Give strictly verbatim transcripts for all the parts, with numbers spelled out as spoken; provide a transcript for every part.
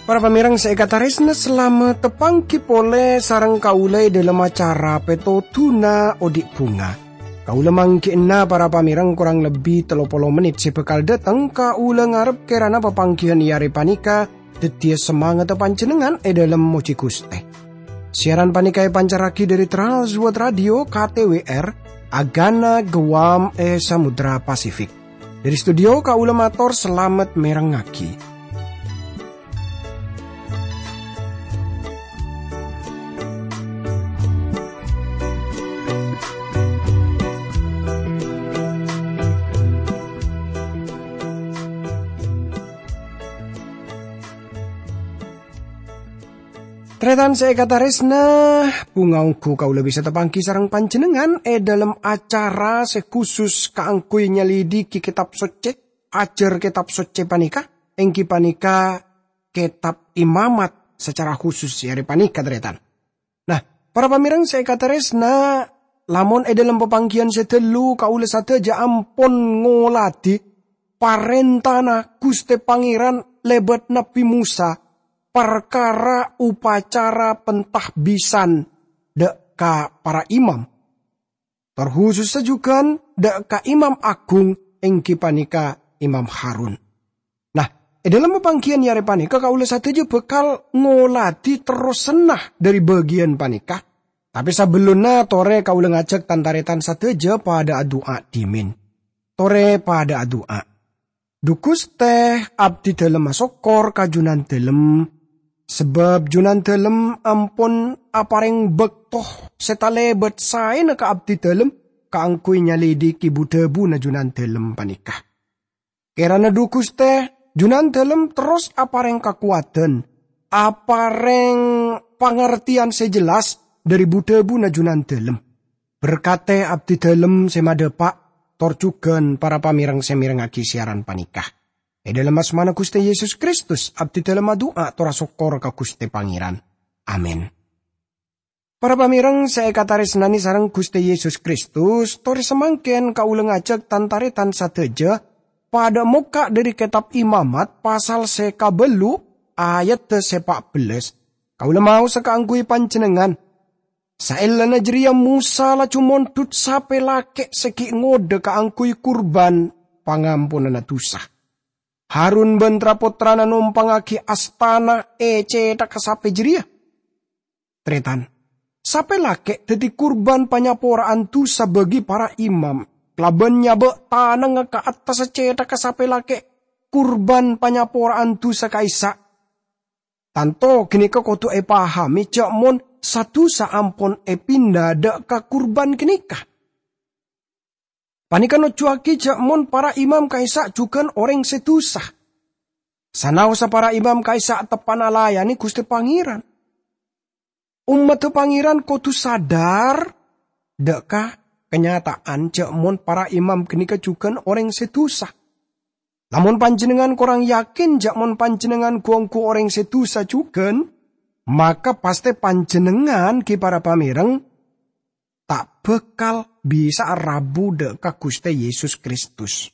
Para pamèrèng sè èkatarèsna, salamet tapangghi polè sareng kaulâ è dhâlem acara Pètodhuna Odi' Bhunga. Kaulâ mangghi'na para pamèrèng korang lebbi tello polo mennit sè bhâkal dhâteng, kaulâ ngarep kèrana papangghiyân è arè panèka dhâddhiyâ samangatta panjhennengngan è dhâlem mojhi Ghustè. Siaran panèka èpancarraghi dhâri Trans World Radio K T W R, Agana Guam è Samudra Pasifik. Dhâri studio kaulâ mator salamet mèrengngaghi. Tarètan sè èkatarèsna, bhunga ongghu kaulâ bisa tapangghi sareng panjhennengngan è dhâlem acara sè khusus kaangghuy nyalidiki Kètab Soccè, ajhâr Kètab Soccè panèka, èngghi panèka Kètab Imamat sacara khusus è arè panèka, tarètan. Nah, para pamèrèng sè èkatarèsna, lamon è dhâlem papangghiyân sè dâllu kaulâ sadhâjâ ampon ngoladhi parèntana Ghustè Pangèran lèbât Nabbhi Mosa, parkara upacara pentahbisan dhâ' ka para imam, tor khusussa jhughân dhâ' ka Imam Aghung, èngghi panèka Imam Harun. Nah, è dhâlem papangghiyân è arè panèka kaulâ sadhâjâ bhâkal ngoladhi terrossanna dhâri bâgiyân panèka. Tapè sabellunna, torè kaulâ ngajhâk tan-tarètan sadhâjâ padâ adu'a dhimèn. Torè padâ adu'a. Dhu Ghustè, abdhi dhâlem asokkor ka Jhunandhâlem, sabâb Jhunandhâlem ampon aparèng bâkto sè talèbât saèna ka abdhi dhâlem kaangghuy nyalidiki bu-dhâbuna Jhunandhâlem panèka. Kèrana dhu Ghustè, Jhunandhâlem terros aparèng kakowadhân, aparèng pangartèyan sè jelas dhâri bu-dhâbuna Jhunandhâlem. Berkatè abdhi dhâlem sè madhâpa', tor jhughân para pamèrèng sè mèrengngaghi siaran panèka. È dhâlem asmana Ghustè Yesus Kristus, abdhi dhâlem adu'a tor asokkor ka Ghustè Pangèran. Amin. Para pamèrèng sè èkatarèsnanè sareng Ghustè Yesus Kristus, torè samangkèn kaulâ ngajhâk tan-tarètan sadhâjâ padâ mokka' dhâri Kètab Imamat pasal sè kabâllu', ayaddhâ sè pa' bellâs. Kaulâ maosa kaangghuy panjhennengngan. Saellana jârèya Mosa laju mondhut sapè lakè' sè ghi' ngodâ kaangghuy kurban pangamponanna dhusa. Harun bân tra-pottrana nompangngaghi astana è cèthagghâ sapè jârèya. Tarètan, sapè lakè' dhâddhi kurban panyapora'an dhusa bagi para imam, kalabân nyabâ' tanangnga ka attassa cèthagghâ sapè lakè' kurban panyapora'an dhusa ka'issa'. Tanto ghânèka kodhu èpahamè jhâ' mon sa-dhusa ampon èpinda dhâ' ka kurban ghânèka. Panèka nojjhuwâghi jhâ' mon para imam ka'issa' jhughân orèng sè dhusa. Sanaossa para imam ka'issa' teppa'na alayanè Ghustè Pangèran. Ommaddhâ Pangèran kodhu sadhâr dhâ' ka kanyata'an jhâ' mon para imam ghânèka jhughân orèng sè dhusa. Lamon panjhennengngan korang yakin jhâ' mon panjhennengngan ghu-ongghu orèng sè dhusa jhughân, maka pastè panjhennengngan ghi para pamèrèng ta' bhâkal bisa'a rabu dhâ' ka Ghustè Yesus Kristus.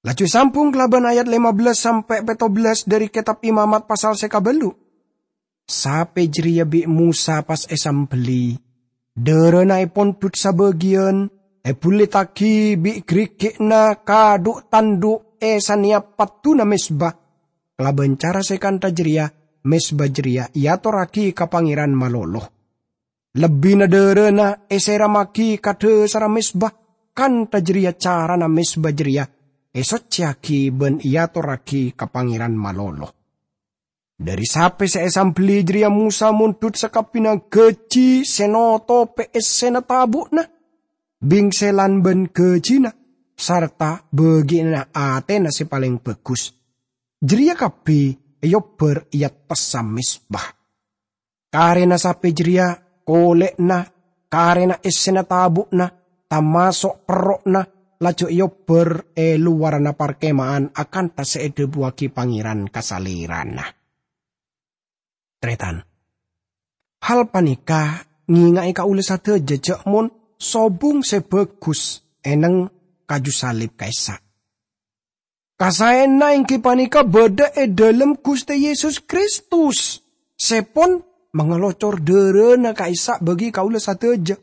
Laju èsambhung kalabân ayat lèma bellâs sampè' pètto bellâs dhâri Kètab Imamat pasal sè kabâllu'. Sapè jârèya bi' Mosa pas èsambelli. Dhârâna èpondhut sabâgiyân, èbullittaghi bi' ghârighi'na kadhu'-tandhu' è sanèyap padduna mezba. Kalabân cara sè kantha jârèya, mezba jârèya èatorraghi ka Pangèran malolo. Lebbina dhârâna èsèrammaghi ka dhâsarra mezba, kantha jârèya carana mezba jârèya èsoccèyaghi bân èatorraghi ka Pangèran malolo. Dhâri sapè sè èsambelli jârèya Mosa mondhut sakabbhiyânna ghâji sè notopè essèna tabu'na, bingselan bân ghâjina, sarta bâgi'ânna atèna sè palèng bhâghus. Jârèya kabbhi èobbhâr è attassa mezba. Karèna sapè jârèya, kolè'na, karèna essèna tabu'na, tamaso' perro'na, laju èobbhâr è lowarranna parkèma'an akantha sè èdhâbuwâghi Pangèran ka salèrana. Tarètan, hal panèka ngènga'è kaulâ sadhâjâ jhâ' mon sobung sè bhâghus èneng kaju salib ka'issa'. Kasaèyanna èngghi panèka bâdâ è dhâlem Ghustè Yesus Kristus, sè pon mangalocor dhârâna ka'issa' bagi kaulâ sadhâjâ.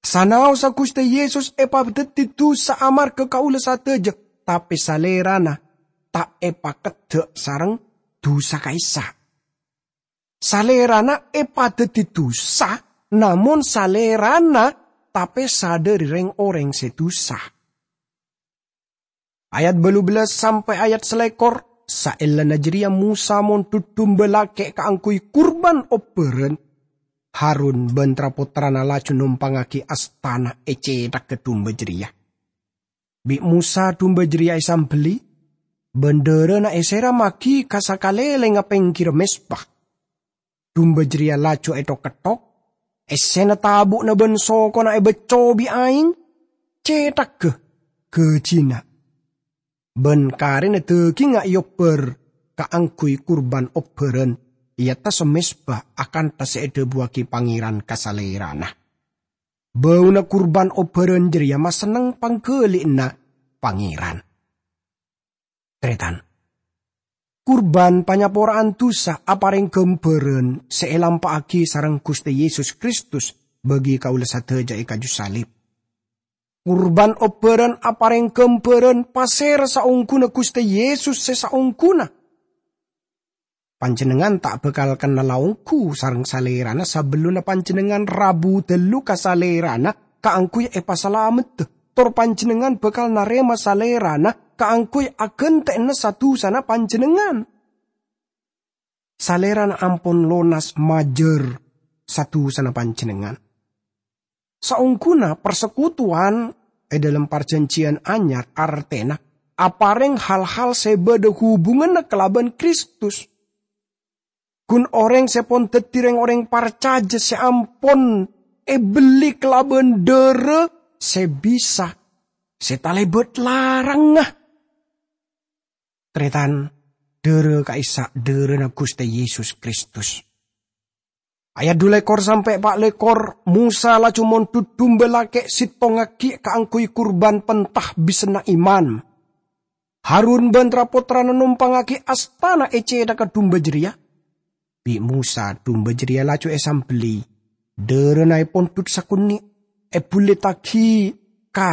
Sanaossa Ghustè Yesus èpadhâddhi dusa amarghâ kaulâ sadhâjâ, tapè Salèrana ta' èpakeddhâ' sareng dusa ka'issa'. Salèrana èpadhâddhi dusa, namong Salèrana tapè sadhâri rèng-orèng sè dusa. Ayat bâllu bellas sampè' ayat salèkor, saellana jârèya Mosa mondhut dumba lakè' kaangghuy kurban obbhârân. Harun bân tra-pottrana laju nompangngaghi astana è cèthagghâ dumba jârèya. Bi' Mosa dumba jârèya èsambelli, bân dhârâna èsèrammaghi ka sakalèlèngnga pèngghirra mezba. Dumba jârèya laju èthok-ketthok, essèna tabu'na bân sokona èbâcco bi' aèng, cèthagghâ ghâjina. Bân karèna dhâgingnga èobbhâr kaangghuy kurban obbhârân, èattassa mezba akantha sè èdhâbuwaghi Pangèran ka Salèrana. Bâuna kurban obbhârân jârèya masenneng pangghâli'na Pangèran. Tarètan, kurban panyapora'an dusa aparèng ghâmbhârân sè èlampa'aghi sareng Ghustè Yesus Kristus bagi kaulâ sadhâjâ è kaju salib. Kurban obbhârân aparèng ghâmbhârân pasèra saongghuna Ghustè Yesus sè saongghuna. Panjhennengngan ta' bhâkal kennalla ongghu sareng Salèrana sabellunna panjhennengngan rabu dâllu ka Salèrana kaangghuy èpasalameddhâ, tor panjhennengngan bhâkal narèma Salèrana kaangghuy aghântè'ana sa-dusana panjhennengngan. Salèrana ampon lonas majâr sa-dusana panjhennengngan. Saongghuna parsekutuwan è dhâlem Parjhânjhiyân Anyar artèna aparèng hal-hal sè bâdâ hubunganna kalabân Kristus. Ghun orèng sè pon dhâddhi rèng-orèng parcajâ sè ampon èbelli kalabân dhârâ sè bisa, sè talèbât larangnga. Tarètan, dhârâ ka'issa' dhârâna Ghustè Yesus Kristus. Ayat dhu lèkor sampè' pa' lèkor, Mosa laju mondhut dumba lakè' sèttong aghi' kaangghuy kurban pentah bisanna iman. Harun bân tra-pottrana nompangngaghi astana è cèthagghâ dumba jârèya. Bi' Mosa dumba jârèya laju èsambelli, dhârâna èpondhut sakonè', èbhulittaghi ka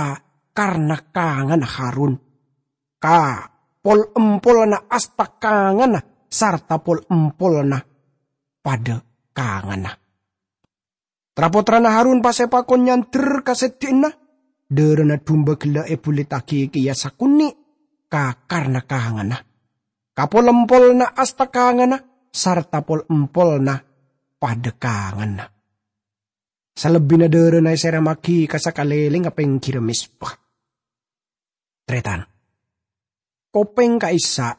karna kanganna Harun, ka pol-empolna asta kanganna sarta pol-empolna padâ kanganna. Tra-pottrana Harun pas èpakon nyandher ka seddi'na, dhârâna dumba ghellâ' èbhulittaghi kèya sakonè' ka karna kanganna, ka pol-empolna asta kanganna, sarta pol-empolna padâ kanganna. Salebbina dhârâna èsèremmaghi ka sakalèlèngnga pèngghirra mezba. Tarètan, kopèng ka'issa'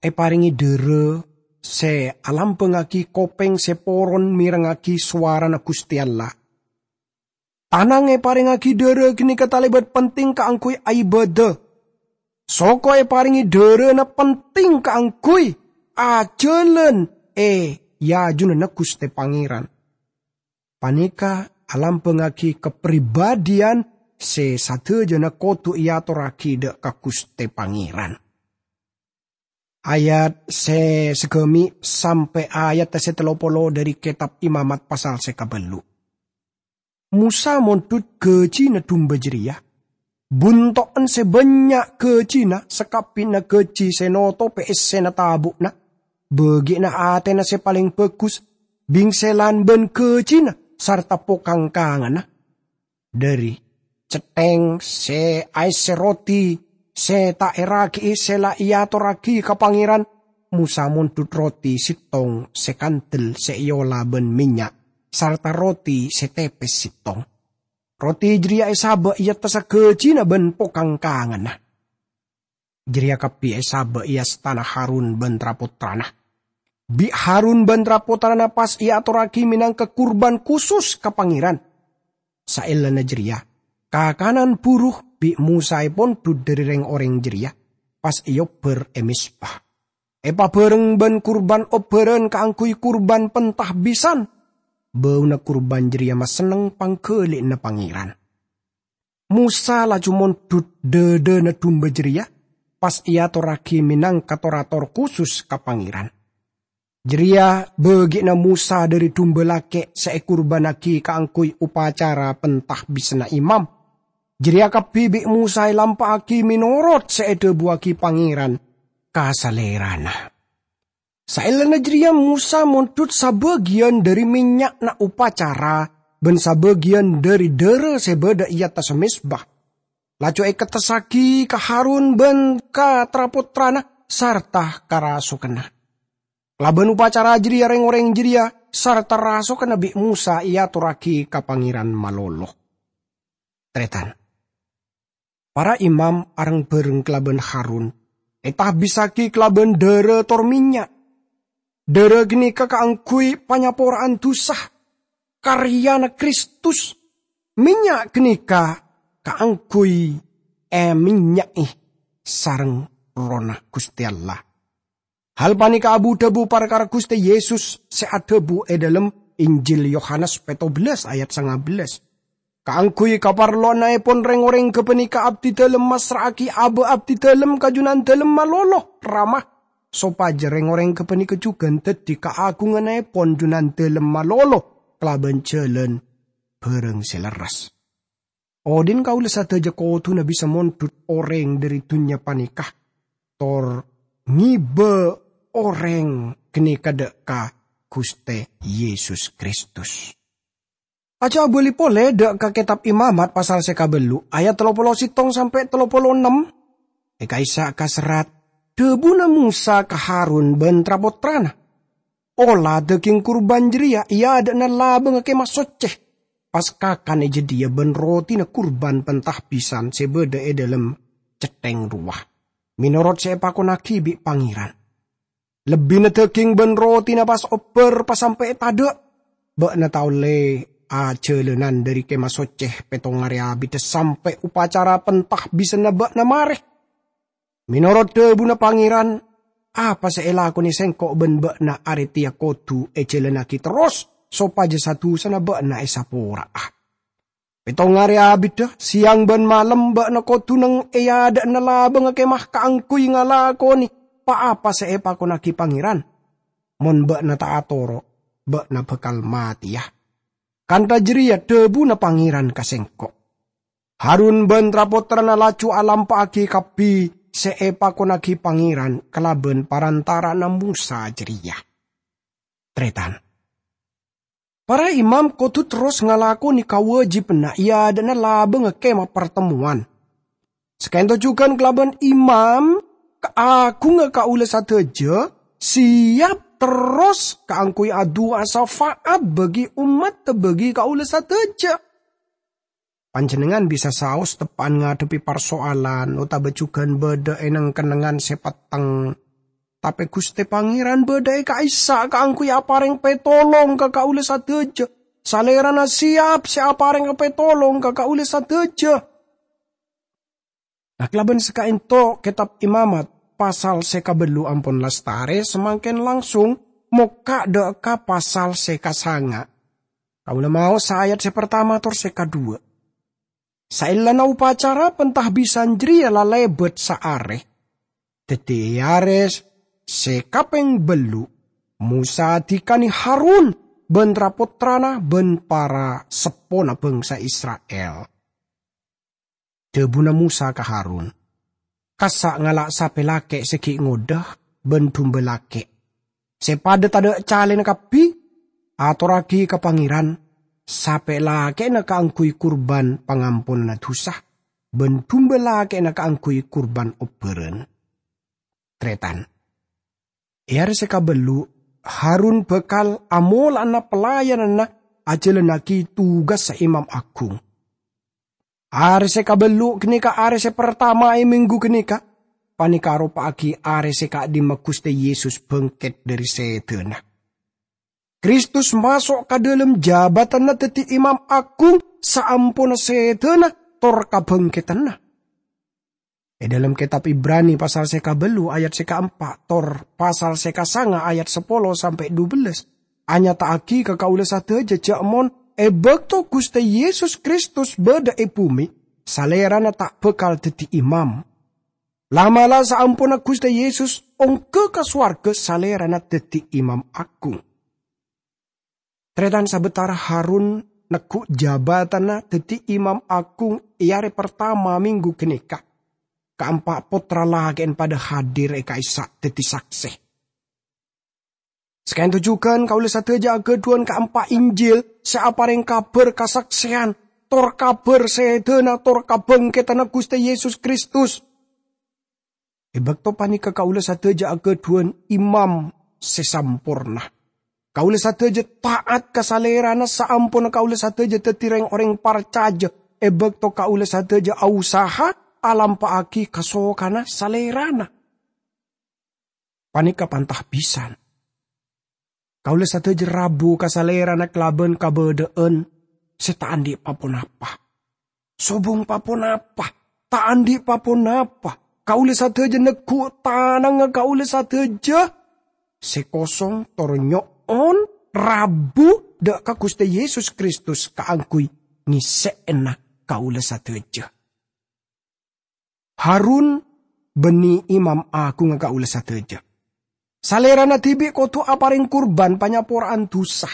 èparèngè dhârâ sè alambângngaghi kopèng sè poron mèrengngaghi sowarana Ghustè Allah. Tanang èparèngngaghi dhârâ ghânèka talèbât penting kaangghuy aibâdâ. Soko èparèngè dhârâna penting kaangghuy ajhâlân è ajunanna Ghustè Pangèran. Panèka alambângngaghi kapribadhiyân sè sadhâjâna kodhu èatorraghi dhâ' ka Ghustè Pangèran. Ayat sè saghâmi' sampè' ayat sè tello polo dhâri Kètab Imamat pasal sè kabâllu'. Mosa mondhut ghâjina dumba jârèya. Bunto'en sè bânnya' ghâjina sakabbhina ghâji sè notobhi essèna tabu'na, bâgi'na atèna sè palèng bhâghus, bhingsèlan bân ghâjina sarta pokang kanganna. Dhâri cèthèng sè aèssè roti sè ta' èraghi'i sè la èatorraghi ka Pangèran, Mosa mondhut roti sèttong sè kandel sè èola bân mènnya', sarta roti sè tèpès sèttong. Roti jârèya èsabâ' è attassa ghâjina bân pokang kanganna. Jârèya kabbhi èsabâ' è astana Harun bân tra-pottrana. Bi' Harun bân tra-pottrana pas èatorraghi mènangka kurban kusus ka Pangèran. Saellana jârèya, kakanan buru bi' Mosa èpondhut dhâri rèng-orèng jârèya, pas èobbhâr è Mizpa. èpabhâreng bân kurban obbhârân kaangghuy kurban pentahbisan, bâuna kurban jârèya masenneng pangghâli'ânna Pangèran. Mosa laju mondhut dhâdhâna dumba jârèya, pas èatorraghi mènangka tor-ator khusus ka Pangèran. Jârèya bâgi'na Mosa dhâri dumba lakè' sè èkurbânnaghi kaangghuy opacara pentahbisanna imam. Jârèya kabbhi bi' Mosa èlampa'aghi mènorot sè èdhâbuwaghi Pangèran ka salèrana. Saellana jârèya Mosa mondhut sabâgiyân dhâri mènnya'na opacara bân sabâgiyân dhâri dârâ sè bâdâ è attassa mezba. Laju èkettessaghi ka Harun bân ka tra-pottrana sarta ka rasokanna. Kalabân opacara jârèya rèng-orèng jârèya sarta rasokanna bi' Mosa èatorraghi ka Pangèran malolo. Tarètan. Para imam areng-bhâreng kalabân Harun ètahbissaghi kalabân dârâ tor mènnya'. Dârâ ghânèka kaangghuy panyapora'an dhusa, karyana Kristus. Mènnya' ghânèka kaangghuy èmènnya'è sareng Errohna Ghustè Allah. Hal panèka abu-dhâbu parkara Ghustè Yesus sè adhâbu è dhâlem Injil Yohanes pètto bellâs ayat sanga bellâs. Kaangghuy kaparlowannaèpon rèng-orèng ghâpanèka abdidhâlem massra'aghi abâ' abdidhâlem ka Junandhâlem malolo, Rama, sopajâ rèng-orèng ghâpanèka jhughân dhâddhi kaagungannaèpon Junandhâlem malolo kalabân jhâlân bhârâng sè lerres. Odhi'na kaulâ sadhâjâ kodhuna bisa mondhut orèng dhâri dhunnya panèka, tor ngibâ orèng ghânèka dâ' ka Ghustè Yesus Kristus. Aca abâli polè dâ' ka Kètab Imamat pasal sè kabellu', ayat tello polo sèttong sampè' tello polo ennem. È ka'issa' kaserrat, dhâbuna Mosa ka Harun bân tra-pottrana, "Ola dâging kurban jârèya è adâ'na labângnga Kèma Soccè, pas kakan è jâdiyâ bân rotina kurban pentahbisan sè bâdâ è dhâlem cèthèng rowa, mènorot sè èpakonnaghi bi' Pangèran. Lebbina dâging bân rotina pas obbhâr pasampè' tadâ'. Bâ'na ta' ollè ajhâlânan dhâri Kèma Soccè pèttong arè abidhâ sampè' opacara pentahbisanna bâ'na marè. Mènorot dhâbuna Pangèran, apa sè èlakonè sèngko' bân bâ'na arè tèya kodhu èjhâlânnaghi terros sopajâ sa-dusana bâ'na èsapora'a. Pèttong arè abidhâ, sèyang bân malem bâ'na kodhu neng è adâ'na labângnga Kèma kaangghuy ngalakonè pa-apa sè èpakonnaghi Pangèran. Mon bâ'na ta' atoro', bâ'na bhâkal matèya. Kantha jârèya dhâbuna Pangèran ka sèngko'." Harun bân tra-pottrana laju alampa'aghi kabbhi sè èpakonnaghi Pangèran kalabân parantara'anna Mosa jârèya. Tarètan. Para imam kodhu terros ngalakonè kawâjibhânna è adâ'na labângnga Kèma Partemmowan. Saka'dinto jhughân kalabân imam kaagungnga kaulâ sadhâjâ, sèyap terros kaangghuy adu'a syafaat bagi ommat, bagi kaulâ sadhâjâ. Panjhennengngan bisa saos teppa'an ngadhebbhi parsoalan otabâ jhughân bâdâ è neng-kennengngan sè petteng. Tapè Ghustè Pangèran bâdâ è ka'issa' kaangghuy aparèng pètolong ka kaulâ sadhâjâ. Salèrana sèyap sè aparèng pètolong ka kaulâ sadhâjâ. Nah, kalabân saka'dinto Kètab Imamat pasal sè kabellu ampon lastarè, samangkèn langsung mokka' dâ' ka pasal sè kasanga'. Kaulâ maos ayat sè partama tor sè kaduwâ'. Saellana opacara pentahbisan jârèya la lèbât saarè. Dhâddhi è arè sè kapèng bellu', Mosa adhikanè Harun bân tra-pottrana bân para seppona bhângsa Isra'il. Dhâbuna Mosa ka Harun, "Kassa' ngala' sapè lakè' sè ghi' ngodâ bân dumba lakè' sè padâ tadâ' calèna kabbhi, atorraghi ka Pangèran, sapè lakè'na kaangghuy kurban pangamponanna dhusa, bân dumba lakè'na kaangghuy kurban obbhârân." Tarètan. È arè sè kabellu', Harun bhâkal amola'ana pelayananna ajhâlânnaghi tugassa imam agung. Arè sè kabellu' ghânèka arè sè partama è mènggu ghânèka, panèka aropa'aghi arè sè ka'dimma Ghustè Yesus bângkèt dhâri sèdhâna. Kristus maso' ka dhâlem jhâbâtanna dhâddhi Imam Agung saamponna sèdhâna tor kabângkèdhânna. È dhâlem kètab Ibrani pasal sè kabâllu ayat sè kaempa' tor pasal sè kasanga ayat sapolo sampè' dubellâs, anyata'aghi ka kaulâ sadhâjâ jhâ' mon è bâkto Ghustè Yesus Kristus bâdâ è bhumè, Salèrana ta' bhâkal dhâddhi imam. La'-mala' saamponna Ghustè Yesus ongghâ ka sowarghâ, Salèrana dhâddhi Imam Aghung. Tarètan sabâtara Harun neggu' jabâtanna dhâddhi Imam Aghung è arè partama mènggu ghânèka, kaempa' pottra lakè'en padâ hadir è ka'issa' dhâddhi saksè. Saka'dinto jhughân kaulâ sadhâjâ aghâdhuwân kaempa' Injil sè aparèng kabhâr kasaksèyan, tor kabhâr sèdhâna, tor kabhângkèdhânna Ghustè Yesus Kristus. È bâkto panèka kaulâ sadhâjâ aghâdhuwân imam sè samporna. Kaulâ sadhâjâ ta'at ka Salèrana saamponna kaulâ sadhâjâ dhâddhi rèng-orèng parcajâ, è bâkto kaulâ sadhâjâ ausaha alampa'aghi kasokanna Salèrana. Panèka pantah bhisan. Kaulâ sadhâjâ rabu ka Salèrana kalabân kabâdâ'ân sè ta' andi' pa-ponapa. Sobung pa-ponapa, ta' andi' pa-ponapa. Kaulâ sadhâjâ neggu' tanangnga kaulâ sadhâjâ sè kosong, tor nyo'on rabu dâ' ka Ghustè Yesus Kristus kaangghuy ngèssè'ana kaulâ sadhâjâ. Harun bânnè Imam Aghungnga kaulâ sadhâjâ. Salèrana dhibi' kodhu aparèng kurban panyapora'an dusa.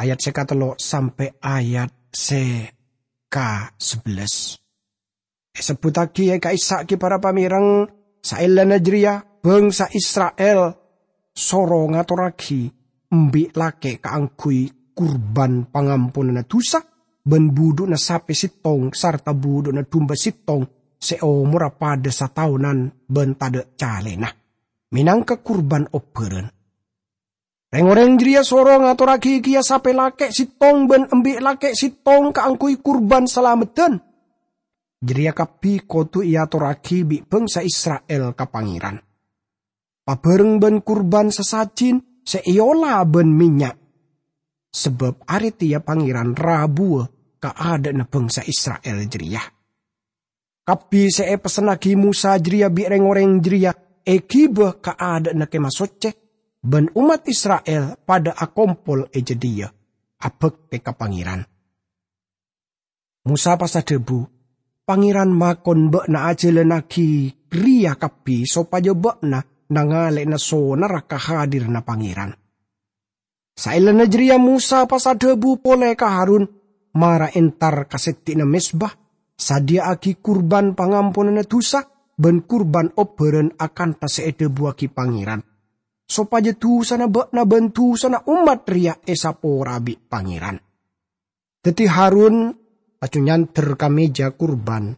Ayat sè katello' sampè' ayat sè ka sabellâs. Èsebbhuttaghi è ka'issa' ghi para pamèreng, saellana jârèya bhângsa Isra'il soro ngatorraghi embi' lakè' kaangghuy kurban pangamponanna dusa, bân budhu'na sapè sèttong sarta budhu'na dumba sèttong sè omorra padâ sataonan bân tadâ' calèna, mènangka kurban obbhârân. Rèng-orèng jârèya soro ngatorraghi kèya sapè lakè' sèttong bân embi' lakè' sèttong kaangghuy kurban salameddhân. Jârèya kabbhi kodhu èatorraghi bi' bhângsa Isra'il ka Pangèran. Pabhâreng bân kurban sasajin sè èola bân mènnya', sabâb arè tèya Pangèran rabuwâ ka adâ'na bhângsa Isra'il jârèya. Kabbhi sè èpessennaghi Mosa jârèya bi' rèng-orèng jârèya èghibâ ka adâ'na Kèma Soccè, bân ommat Isra'il padâ akompol è jâdiyâ, abhâktè ka Pangèran. Mosa pas adhâbu, "Pangèran makon bâ'na ajhâlânnaghi rèya kabbhi sopajâ bâ'na nangalè'ana sonarra kahadiranna Pangèran." Saellana jârèya Mosa pas adhâbu polè ka Harun, "Mara entar ka seddhi'na mezba, sadhiyâ'aghi kurban pangamponanna dusa bân kurban obbhârân akantha sè èdhâbuwâghi Pangèran, sopajâ dusana bâ'na bân dusana ommat rèya èsaporaa bi' Pangèran." Dhâddhi Harun laju nyandher ka mèja kurban,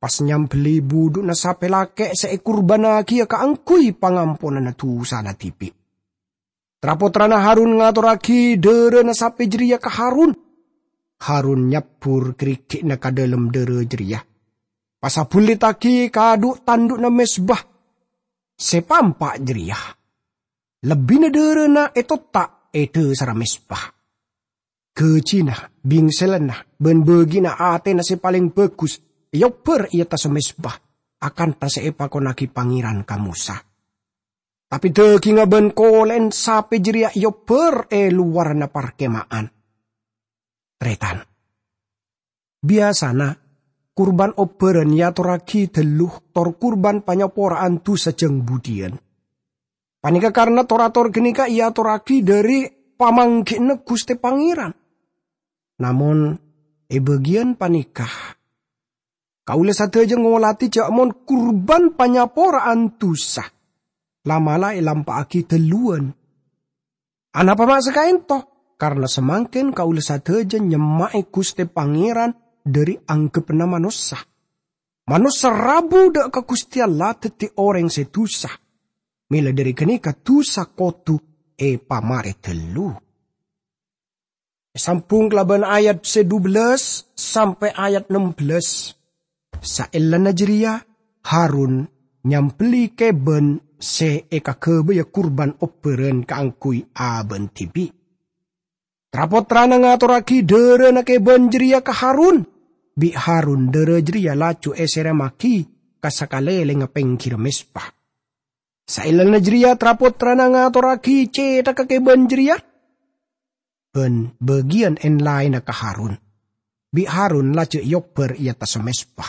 pas nyambelli budhu'na sapè lakè' sè èkurbannagiyâ kaangghuy pangamponanna dusana dhibi'. Tra-pottrana Harun ngatorraghi dhârâna sapè jârèya ka Harun. Harun nyabbhur ghârighi'na ka dhâlem dhârâ jârèya, pas abhullittaghi ka dhu'-tandhu'na mezba sè pampa' jârèya. Lebbina dhârâna ètotta' è dhâsarra mezba. Ghâjina, bingsellanna, bân bâgina atèna sè palèng bhâghus èobbhâr è attassa mezba, akantha sè èpakonnaghi Pangèran ka Mosa. Tapè dhâghingnga bân kolè'en sapè jârèya èobbhâr è lowarra parkema'an. Tarètan. Biyasana, kurban obbhârân èatorraghi dhâllu tor kurban panyapora'an dusa jâng budhiyân. Panèka karna tor-ator ghânèka èatorraghi dhâri pamanggi'na Ghustè Pangèran. Namong, è bâgiyân panèka, kaulâ sadhâjâ ngolatè jâ' mon kurban panyapora'an dusa la'-mala' èlampa'aghi dhâlluwân. Anapa ma' saka'ènto? Karna samangkèn kaulâ sadhâjâ nyemma'è Ghustè Pangèran dhâri angghebbhâ manossa. Manossa rabu dâ' ka Ghustè Allah dhâddhi orèng sè dusa. Mèla dhâri ghânèka dusa kodhu èpamarè dhâllu. Èsambhung kalabân ayat sè dubellâs sampè' ayat nembellâs. Saellana jârèya, Harun nyambelli kèbân sè èkaghâbâyâ kurban obbhârân kaangghuy abâ'na dhibi'. Tra-pottrana ngatorraghi dhârâna kèbân jârèya ka Harun. bi' Harun dârâ jârèya laju èsèremmaghi ka sakalèlèngnga pèngghirra mezba. Saellana jârèya, tra-pottrana ngatorraghi cèthagghâ kèbân jârèya, bân bâgiyân èn-laènna ka Harun. Bi' Harun laju èobbhâr è attassa mezba.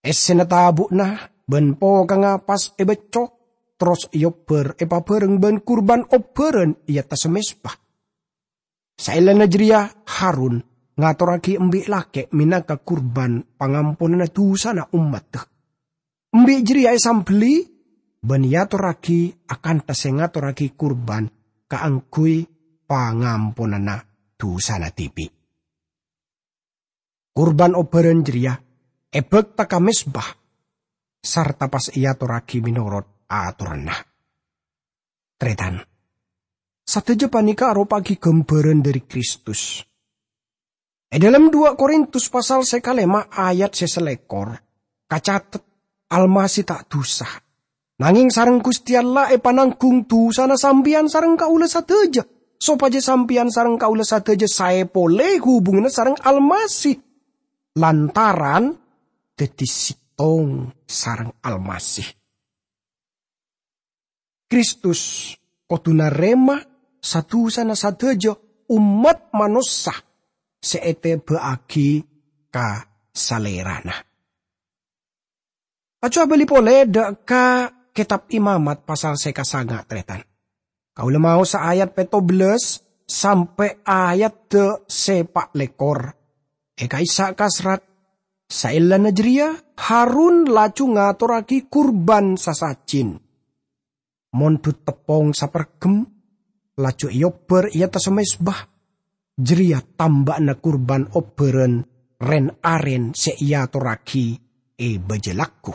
Essèna tabu'na bân pokangnga pas èbâcco, terros èobbhâr èpabhâreng bân kurban obbhârân è attassa mezba. Saellana jârèya, Harun ngatorraghi embi' lakè' mènangka kurban pangamponanna dusana ommadda. Embi' jârèya èsambelli bân èatorraghi akantha sè ngatorraghi kurban kaangghuy pangamponanna dusana dhibi'. Kurban obbhârân jârèya èbâkta ka mezba, sarta pas èatorraghi mènorot atoranna. Tarètan, sadhâjâ panèka aropa'aghi ghâmbhârân dhâri Kristus. È dhâlem dua Korintus pasal sè kalèma ayat sè salèkor, kacatet, "Almasih ta' dusa. Nangèng sareng Ghustè Allah èpananggung dusana sampèyan sareng kaulâ sadhâjâ, sopajâ sampèyan sareng kaulâ sadhâjâ saè polè hubunganna sareng Almasih, lantaran dhâddhi sèttong sareng Almasih." Kristus kodhu narèma sa-dusana sadhâjâ ommat manossa sè ètèbâ'aghi ka Salèrana. Aco abâli polè dâ' ka Kètab Imamat pasal sè kasanga', tarètan. Kaulâ maosa ayat pètto bellâs sampè' ayat sè pa' lèkor. È ka'issa' kasrat, saellana jârèya Harun laju ngatorraghi kurban sasajin. Mondhut teppong saperghem, laju èobbhâr è attassa mezba. Jârèya tamba'na kurban obbhârân rèn-arèn sè èatorraghi è bâjâ lagghu.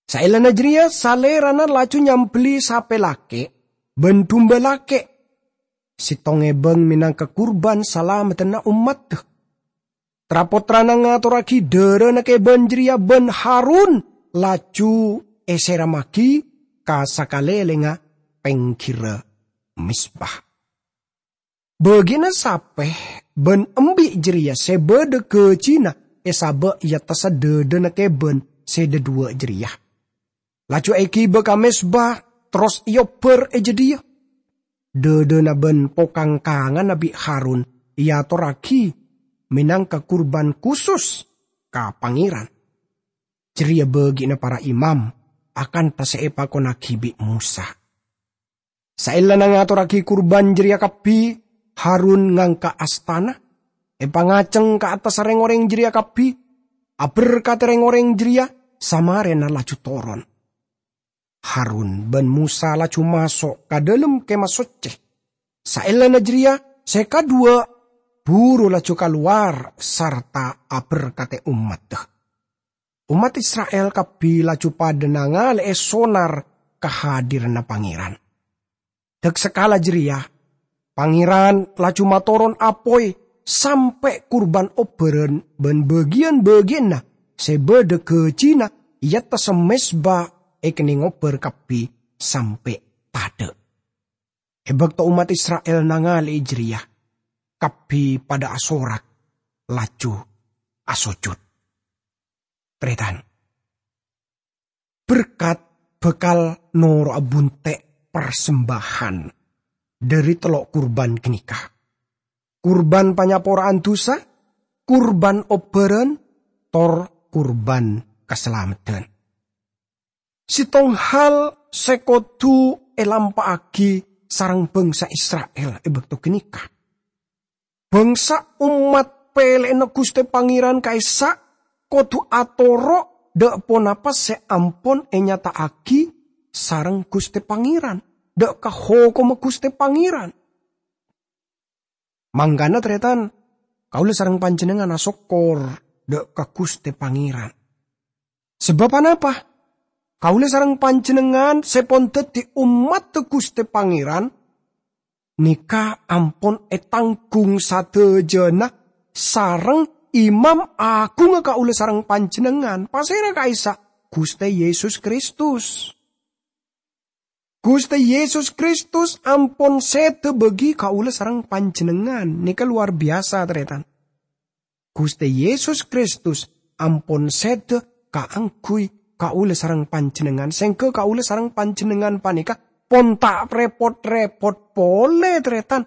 Saellana jârèya Salèrana laju nyambelli sapè lakè' bân dumba lakè', sèttong èbâng mènangka kurban salameddhânna ommadda. Tra-pottrana ngatorraghi dârâna kèbân jârèya bân Harun laju èsèremmaghi ka sakalèlèngnga pèngghirra mezba. Bâgiânna sapè bân embi' jârèya sè bâdâ ghâjina èsabâ' è attassa dâdâna kèbân sè dhâduwâ' jârèya. Laju èghibâ ka mezba, terros èobbhâr è jâdiyâ. Dâdâna bân pokangkanganna bi' Harun èatorraghi mènangka kurban khusus ka Pangèran. Jârèya bâgiânna para imam, akantha sè èpakonnaghi bi' Mosa. Saellana ngatorraghi kurban jârèya kabbhi, Harun ngangka' astana, èpangaceng ka attassa rèng-orèng jârèya kabbhi, aberkadhi rèng-orèng jârèya, samarèna laju toron. Harun bân Mosa laju maso' ka dhâlem Kèmah Soccè. Saellana jârèya, sè kaduwâ' buru laju kalowar sarta aberkadhi ommadda. Ommat Isra'il kabbhi laju padâ nangalè'è sonar kahadiranna Pangèran. Dâk-sakala jârèya, Pangèran laju matoron apoy sampè' kurban obbhârân bân bâgiyân-bâgiyânna sè bâdâ ghâjina è attassa mezba èkennèng obbhâr kabbhi sampè' tadâ'. È bâkto ommat Isra'il nangalè'è jârèya, kabbhi padâ asorak, laju asojud. Tarètan. Berkat bhâkal noro'a bunte' parsembahan dhâri tello' kurban ghânèka. Kurban panyapora'an dusa, kurban obbhârân, tor kurban kasalameddhân. Sèttong hal sè kodhu èlampa'aghi sareng bhângsa Isra'il è bâkto ghânèka. Bhângsa ommat pèlè'anna Ghustè Pangèran ka'issa' kodhu atoro' dâ' ponapa sè ampon ènyata'aghi sareng Ghustè Pangèran, dâ' ka hokomma Ghustè Pangèran. Mangkana, tarètan, kaulâ sareng panjhennengngan asokkor dâ' ka Ghustè Pangèran. Sabâb ponapa? Kaulâ sareng panjhennengngan sè pon dhâddhi ommadda Ghustè Pangèran nèka ampon ètanggung sadhâjâna sareng Imam Aghungnga kaulâ sareng panjhennengngan. Pasèra ka'issa'? Ghustè Yesus Kristus. Ghustè Yesus Kristus ampon sèdhâ bâgi kaulâ sareng panjhennengngan. Nèka lowar biyasa, tarètan. Ghustè Yesus Kristus ampon sèdhâ kaangghuy kaulâ sareng panjhennengngan, sèngghâ kaulâ sareng panjhennengngan panèka pon ta' rèpot-rèpot polè, tarètan.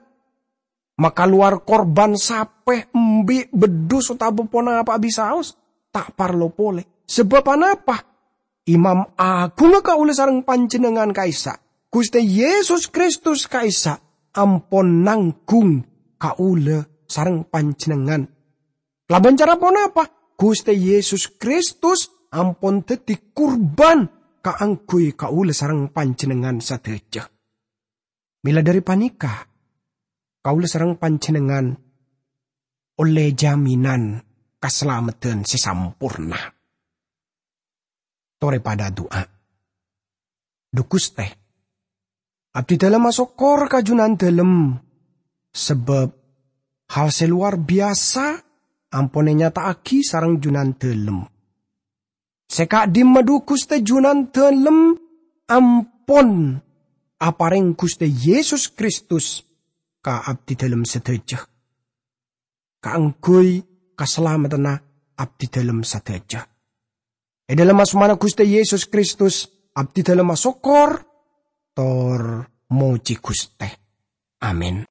Makalowar korban sapè, embi', beddhus, otabâ ponapa'a bisaos, ta' parlo polè. Sabâb anapa? Imam Aghungnga kaulâ sareng panjhennengngan ka'issa', Ghustè Yesus Kristus ka'issa', ampon nangghung kaulâ sareng panjhennengngan. Kalabân cara ponapa? Ghustè Yesus Kristus ampon dhâddhi kurban kaangghuy kaulâ sareng panjhennengngan sadhâjâ. Mèla dhâri panèka, kaulâ sareng panjhennengngan ollè jaminan kasalameddhân sè samporna. Torè padâ adu'a. Dhu Ghustè, abdhidhâlem asokkor ka Jhunandhâlem, sabâb hal sè lowar biyasa ampon ènyata'aghi sareng Jhunandhâlem. Sè ka'dimma dhu Ghustè Jhunandhâlem ampon aparèng Ghustè Yesus Kristus ka abdhidhâlem sadhâjâ, kaangghuy kasalameddhânna abdhidhâlem sadhâjâ. È dhâlem asmana Ghustè Yesus Kristus, abdhidhâlem asokkor tor mojhi Ghustè. Amin.